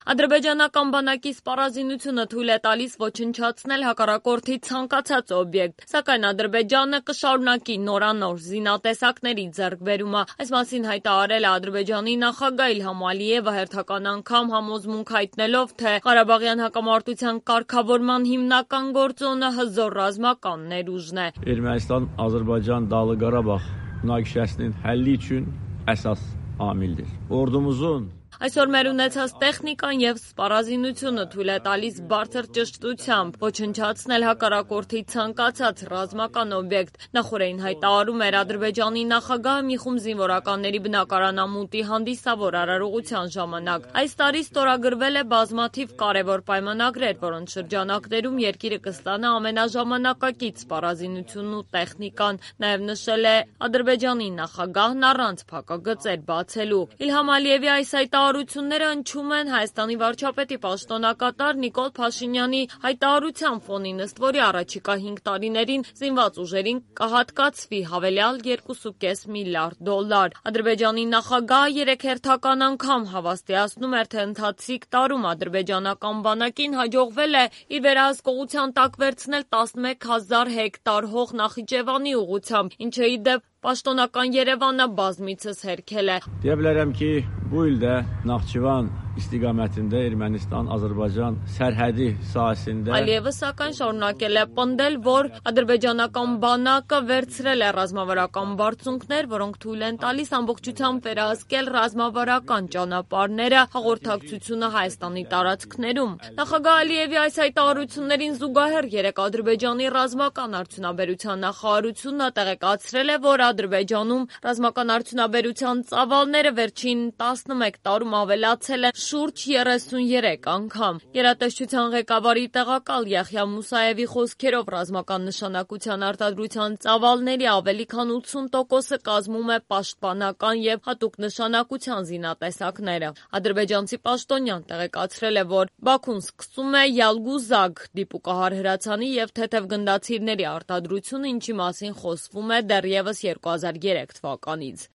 Ադրբեջանական բանակի սպառազինությունը թույլ է տալիս ոչնչացնել հակառակորդի ցանկացած օբյեկտ, սակայն Ադրբեջանը կշարունակի նորանոր զինատեսակների ձեռքբերումը։ Այս մասին հայտարարել է Ադրբեջանի նախագահ Իլհամ Ալիևը հերթական անգամ համոզմունք հայտնելով, թե Ղարաբաղյան հակամարտության կարգավորման հիմնական գործոնը հզոր ռազմական ներուժն է։ Ermənistan-Azərbaycan Dağlıq Qarabağ münaqişəsinin həlli üçün əsas amildir. Ordumuzun Այսօր մեր ունեցած տեխնիկան եւ սպառազինությունը թույլ է տալիս բարձր ճշտությամբ ոչնչացնել հակառակորդի ցանկացած ռազմական օբյեկտ։ Նախորդին հայտարարում էր Ադրբեջանի նախագահը մի խումբ զինվորականների բնակարանամուտի հանդիսավոր արարողության ժամանակ։ Այս տարի ստորագրվել է բազմաթիվ կարևոր պայմանագրեր, որոնց շրջանակներում երկիրը կստանա ամենաժամանակակից սպառազինությունն ու տեխնիկան։ Նաեւ նշել է Ադրբեջանի նախագահն առանց փակագծեր բացելու։ Իլհամ Ալիևի այս հայտարարությունները հնչում են Հայաստանի վարչապետի պաշտոնակատար Նիկոլ Փաշինյանի հայտարարության ֆոնին, ըստ որի առաջիկա 5 տարիներին զինված ուժերին կհատկացվի հավելյալ $2.5 միլիարդ։ Ադրբեջանի նախագահը 3 հերթական անգամ հավաստիացնում էր, թե ընթացիկ տարում ադրբեջանական բանակին հաջողվել է իր վերահսկողության տակ վերցնել 11,000 հեկտար հող Նախիջևանի ուղղությամբ, ինչը ի դեպ պաշտոնական Երևանը բազմիցս հերքել է։ Deyə bilərəm ki, bu ildə Naxçıvan istiqamətində Ermənistan-Azərbaycan sərhədi sahəsində Ալիևը սակայն շարունակել է պնդել, որ ադրբեջանական բանակը վերցրել է ռազմավարական բարձունքներ, որոնք թույլ են տալիս ամբողջությամբ վերահսկել ռազմավարական ճանապարհները, հաղորդակցությունը Հայաստանի տարածքներում։ Նախագահ Ալիևի այս հայտարարություններին զուգահեռ երեկ Ադրբեջանի ռազմական արդյունաբերության նախարարությունը տեղեկացրել է, որ Ադրբեջանում ռազմական արդյունաբերության ծավալները վերջին 11 տարում ավելացել են շուրջ 33 անգամ։ Գերատեսչության ղեկավարի տեղակալ Յախյա Մուսայևի խոսքերով ռազմական նշանակության արտադրության ծավալների ավելի քան 80%-ը կազմում է պաշտպանական եւ հատուկ նշանակության զինատեսակները։ Ադրբեջանցի պաշտոնյան տեղեկացրել է, որ Բաքուն սկսում է Յալգուզագ դիպուկահար հրացանի եւ թեթև գնդացիրների արտադրությունը, ինչի մասին խոսվում է դեռևս 2003 թվականից։